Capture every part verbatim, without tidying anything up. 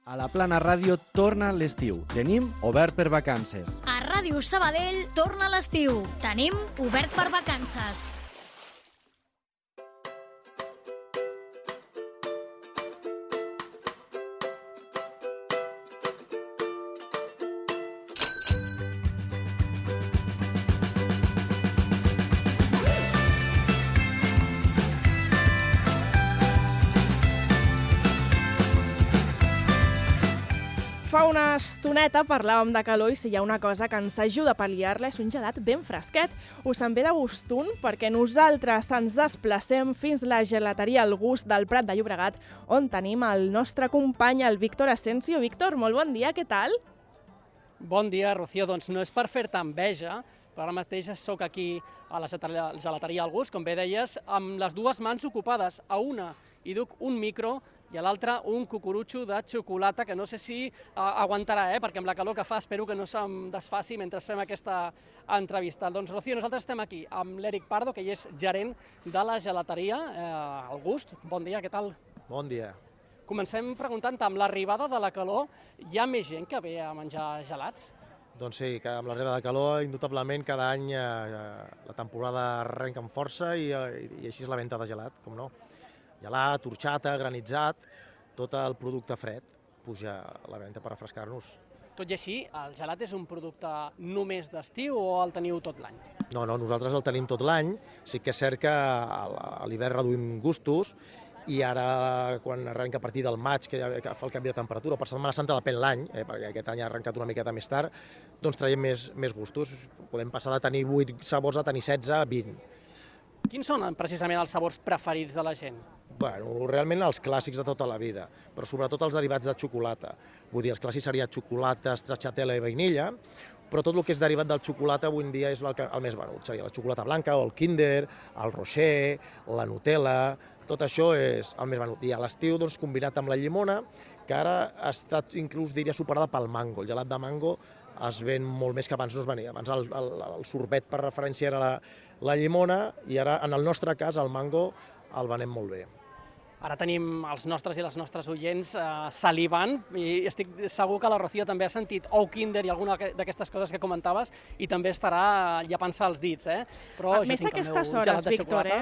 A la Plana Ràdio torna l'estiu. Tenim obert per vacances. A Ràdio Sabadell torna l'estiu. Tenim obert per vacances. Fa una estoneta parlàvem de calor i si hi ha una cosa que ens ajuda a pal·liar-la és un gelat ben fresquet. Us en ve de gust un perquè nosaltres ens desplacem fins la gelateria El Gust del Prat de Llobregat, on tenim el nostre company, el Víctor Asensio. Víctor, molt bon dia, què tal? Bon dia, Rocío. Doncs no és per fer-te enveja, però ara mateix soc aquí a la gelateria El Gust, com bé deies, amb les dues mans ocupades. A una hi duc un micro i a l'altre un cucurutxo de xocolata, que no sé si uh, aguantarà, eh? perquè amb la calor que fa espero que no se'm desfaci mentre fem aquesta entrevista. Doncs, Rocío, nosaltres estem aquí amb l'Eric Pardo, que ell és gerent de la gelateria eh, El Gust. Bon dia, què tal? Bon dia. Comencem preguntant, amb l'arribada de la calor, hi ha més gent que ve a menjar gelats? Doncs sí, que amb l'arribada de calor, indubtablement, cada any eh, la temporada arrenca amb força i, i així és la venda de gelat, com no. Gelat, horxata, granitzat, tot el producte fred puja a la venda per refrescar-nos. Tot i així, el gelat és un producte només d'estiu o el teniu tot l'any? No, no, nosaltres el tenim tot l'any. Sí que és cert que a l'hivern reduïm gustos i ara, quan arrenca a partir del maig, que, ja, que fa el canvi de temperatura, per Setmana Santa depèn l'any, eh, perquè aquest any ha arrencat una miqueta més tard, doncs traiem més, més gustos. Podem passar de tenir vuit sabors a tenir setze, vint. Quins són precisament els sabors preferits de la gent? Bueno, realment els clàssics de tota la vida, però sobretot els derivats de xocolata. Vull dir, els clàssics seria xocolata, stracciatella i vainilla, però tot el que és derivat del xocolata avui en dia és el, que, el més venut. Seria la xocolata blanca, o el Kinder, el Rocher, la Nutella, tot això és el més venut. I a l'estiu, doncs, combinat amb la llimona, que ara ha estat inclús, diria, superada pel mango. El gelat de mango es ven molt més que abans no es venia. Abans el, el, el sorbet per referència era la, la llimona i ara, en el nostre cas, el mango el venem molt bé. Ara tenim els nostres i les nostres oients eh, salivant i estic segur que la Rocío també ha sentit ou Kinder i alguna d'aquestes coses que comentaves i també estarà llepant-se els dits, eh? Però a més aquestes hores, Víctor, eh?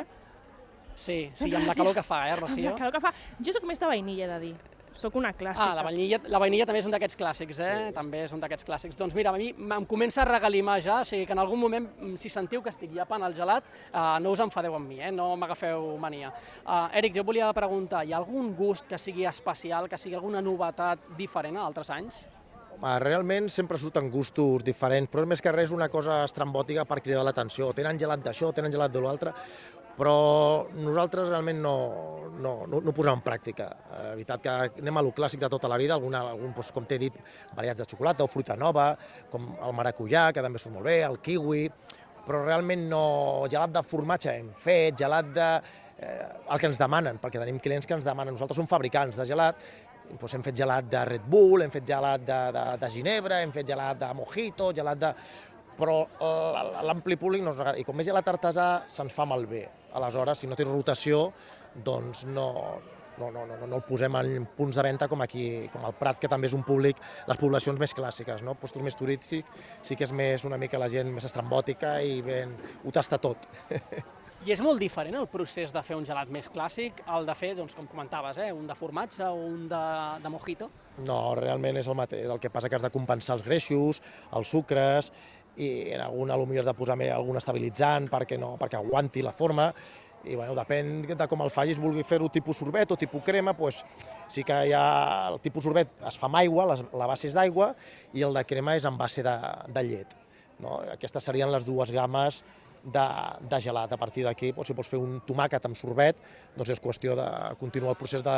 Sí, sí, amb la calor que fa, eh, Rocío? Amb la calor que fa. Jo soc més de vainilla, he de dir. Soc una clàssica. Ah, la vainilla, la vainilla també és un d'aquests clàssics, eh? Sí. També és un d'aquests clàssics. Doncs mira, a mi em comença a regalimar ja, o sigui que en algun moment, si sentiu que estic llepant el gelat, eh, no us enfadeu amb mi, eh? No m'agafeu mania. Uh, Eric, jo volia preguntar, hi ha algun gust que sigui especial, que sigui alguna novetat diferent a altres anys? Realment sempre surten gustos diferents, però més que res una cosa estrambòtica per cridar l'atenció. Tenen gelat d'això, tenen gelat de l'altre, però nosaltres realment no, no, no, no ho posem en pràctica. La veritat que anem a lo clàssic de tota la vida, alguna, algun, doncs, com t'he dit, variats de xocolata o fruita nova, com el maracujà, que també surt molt bé, el kiwi, però realment no... Gelat de formatge hem fet, gelat de... Eh, el que ens demanen, perquè tenim clients que ens demanen. Nosaltres som fabricants de gelat, doncs hem fet gelat de Red Bull, hem fet gelat de, de, de ginebra, hem fet gelat de mojito, gelat de... però l'ampli públic no ens agrada. I com més gelat artesà se'ns fa malbé. Aleshores, si no té rotació, doncs no, no, no, no, no el posem en punts de venda com aquí, com el Prat, que també és un públic, les poblacions més clàssiques, no? Postos més turístics, sí que és més una mica la gent més estrambòtica i ben, ho tasta tot. I és molt diferent el procés de fer un gelat més clàssic, el de fer, doncs, com comentaves, eh, un de formatge o un de, de mojito? No, realment és el mateix. El que passa que has de compensar els greixos, els sucres, i en algun potser has de posar algun estabilitzant perquè, no, perquè aguanti la forma. I bueno, depèn de com el facis, vulgui fer-ho tipus sorbet o tipus crema, doncs sí que hi ha el tipus sorbet es fa amb aigua, la base és d'aigua, i el de crema és en base de, de llet. No? Aquestes serien les dues gammes de, de gelat. A partir d'aquí, doncs, si vols fer un tomàquet amb sorbet, doncs és qüestió de continuar el procés de,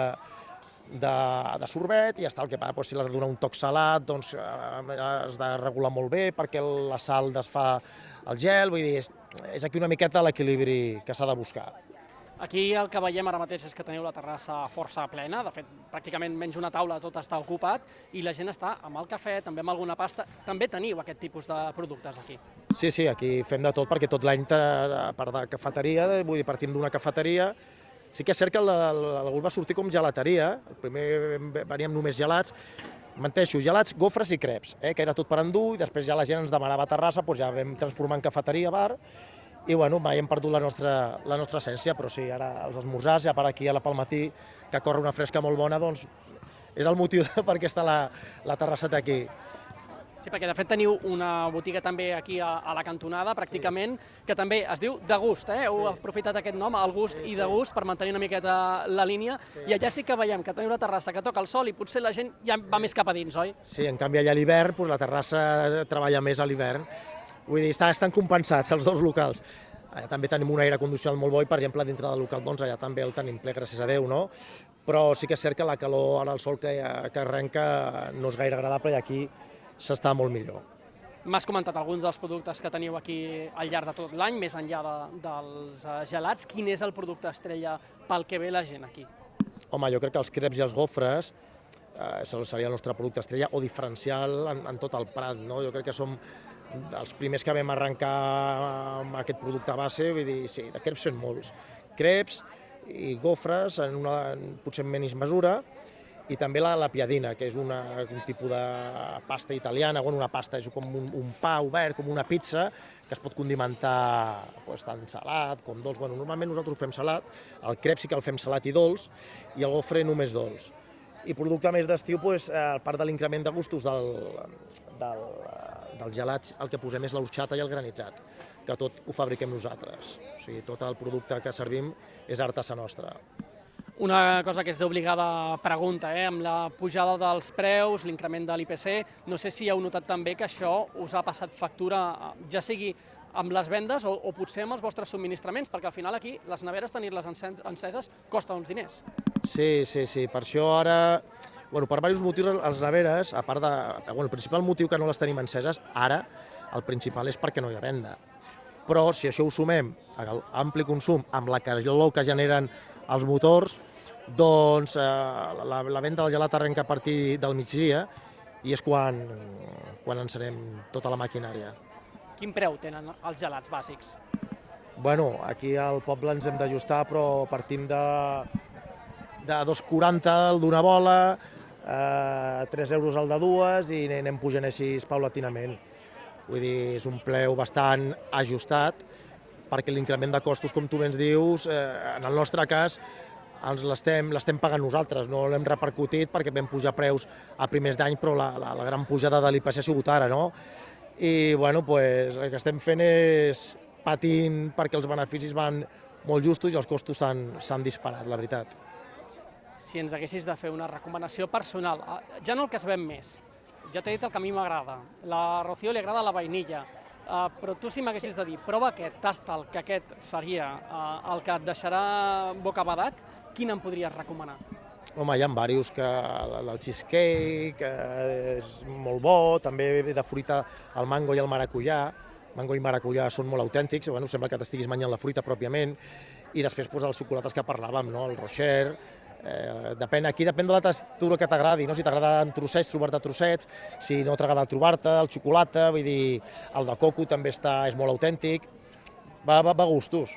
de, de sorbet i ja està. El que passa, doncs, si l'has de donar un toc salat, doncs has de regular molt bé perquè la sal desfà el gel, vull dir, és, és aquí una miqueta l'equilibri que s'ha de buscar. Aquí el que veiem ara mateix és que teniu la terrassa força plena, de fet, pràcticament menys una taula tot està ocupat i la gent està amb el cafè, també amb alguna pasta. També teniu aquest tipus de productes aquí? Sí, sí, aquí fem de tot perquè tot l'any, a part de cafeteria, vull dir, partim d'una cafeteria Sí que és cert que el, el, el gust va sortir com gelateria, el primer veníem només gelats, menteixo, gelats, gofres i creps, eh, que era tot per endur, i després ja la gent ens demanava terrassa, doncs ja vam transformar en cafeteria, bar, i bueno, mai hem perdut la nostra, la nostra essència, però sí, ara els esmorzars, ja per aquí a la pel matí, que corre una fresca molt bona, doncs és el motiu per què està la, la terrasseta aquí. Sí, perquè de fet teniu una botiga també aquí a, a la cantonada, pràcticament, que també es diu De Gust, eh? Heu aprofitat aquest nom, El Gust i De Gust, per mantenir una miqueta la línia, i allà sí que veiem que teniu una terrassa que toca el sol i potser la gent ja va més cap a dins, oi? Sí, en canvi allà a l'hivern, doncs la terrassa treballa més a l'hivern. Vull dir, estan compensats els dos locals. També tenim un aire condicionat molt bo i, per exemple, dintre del local, doncs allà també el tenim ple, gràcies a Déu, no? Però sí que és cert que la calor, ara el sol que, que arrenca, no és gaire agradable i aquí s'està molt millor. M'has comentat alguns dels productes que teniu aquí al llarg de tot l'any, més enllà de, dels gelats. Quin és el producte estrella pel que ve la gent aquí? Home, jo crec que els creps i els gofres eh, seria el nostre producte estrella o diferencial en, en tot el Prat, no? Jo crec que som els primers que vam arrencar amb aquest producte base, vull dir, sí, de creps fem molts. Creps i gofres, en una, potser en menys mesura, i també la, la piadina, que és una, un tipus de pasta italiana, bueno, una pasta, és com un, un pa obert, com una pizza, que es pot condimentar pues, tant salat com dolç. Bueno, normalment nosaltres ho fem salat, el crep sí que el fem salat i dolç, i el gofre només dolç. I producte més d'estiu, pues, a part de l'increment de gustos del, del, dels gelats, el que posem és l'orxata i el granitzat, que tot ho fabriquem nosaltres. O sigui, tot el producte que servim és artesà nostra. Una cosa que és d'obligada pregunta, eh? Amb la pujada dels preus, l'increment de l'I P C, no sé si heu notat també que això us ha passat factura, ja sigui amb les vendes o, o potser amb els vostres subministraments, perquè al final aquí les neveres, tenir-les enceses, costa uns diners. Sí, sí, sí, per això ara, bueno, per diversos motius, les neveres, a part de, bueno, el principal motiu que no les tenim enceses, ara, el principal és perquè no hi ha venda. Però si això ho sumem a l'ampli consum amb la calor que generen els motors, doncs eh, la, la venda del gelat arrenca a partir del migdia i és quan, quan encenem tota la maquinària. Quin preu tenen els gelats bàsics? Bueno, aquí al poble ens hem d'ajustar, però partim de, de dos coma quaranta el d'una bola, eh, tres euros el de dues i anem pujant així paulatinament. Vull dir, és un preu bastant ajustat, perquè l'increment de costos, com tu bé ens dius, eh, en el nostre cas, l'estem pagant nosaltres, no l'hem repercutit perquè vam pujar preus a primers d'any, però la, la, la gran pujada de l'I P C ha sigut ara, no? I bueno, pues, el que estem fent és patint perquè els beneficis van molt justos i els costos s'han disparat, la veritat. Si ens haguessis de fer una recomanació personal, ja no el que es ven més, ja t'he dit el que a mi m'agrada, la Rocío li agrada la vainilla, Uh, però tu si m'haguessis de dir, prova aquest, tasta'l, que aquest seria uh, el que et deixarà bocabadat, quin em podries recomanar? Home, hi ha diversos, que el cheesecake eh, és molt bo, també de fruita el mango i el maracuyà. Mango i maracuyà són molt autèntics, bueno, sembla que t'estiguis menjant la fruita pròpiament, i després pues, els xocolates que parlàvem, no? El Rocher. Eh, depèn, aquí depèn de la textura que t'agradi, no? Si t'agrada en trossets, trobar-te trossets, si no t'agrada trobar-te, el xocolata, vull dir, el de coco també està, és molt autèntic, va, va, va a gustos.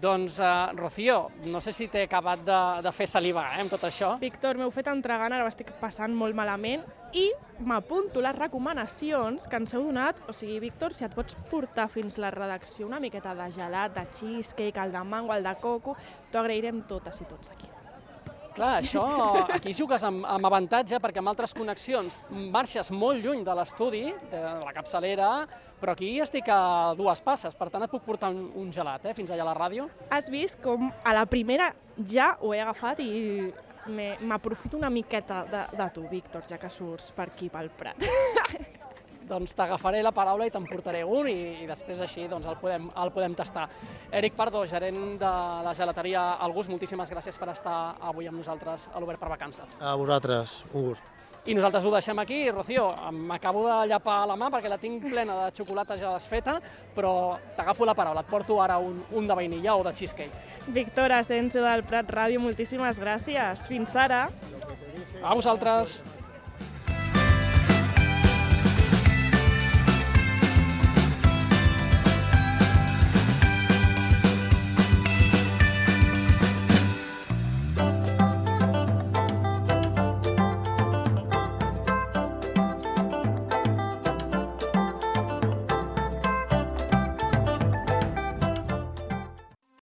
Doncs, uh, Rocío, no sé si t'he acabat de, de fer salivar eh, amb tot això. Víctor, m'heu fet entregant, ara m'estic passant molt malament i m'apunto les recomanacions que ens heu donat. O sigui, Víctor, si et pots portar fins la redacció una miqueta de gelat, de cheesecake, el de mango, el de coco, t'ho agrairem totes i tots aquí. Clar, això, aquí jugues amb, amb avantatge perquè amb altres connexions marxes molt lluny de l'estudi, de la capçalera, però aquí estic a dues passes, per tant et puc portar un, un gelat, eh, fins allà a la ràdio. Has vist com a la primera ja ho he agafat i m'aprofito una miqueta de, de tu, Víctor, ja que surts per aquí, pel Prat. Doncs t'agafaré la paraula i te'n portaré un i, i després així doncs, el, podem, el podem tastar. Eric Pardo, gerent de la gelateria El Gust, moltíssimes gràcies per estar avui amb nosaltres a l'Obert per Vacances. A vosaltres, un gust. I nosaltres ho deixem aquí. Rocío, m'acabo de llapar la mà perquè la tinc plena de xocolata ja desfeta, però t'agafo la paraula, et porto ara un, un de vainilla o de cheesecake. Víctor Asensio del Prat Ràdio, moltíssimes gràcies. Fins ara. A vosaltres.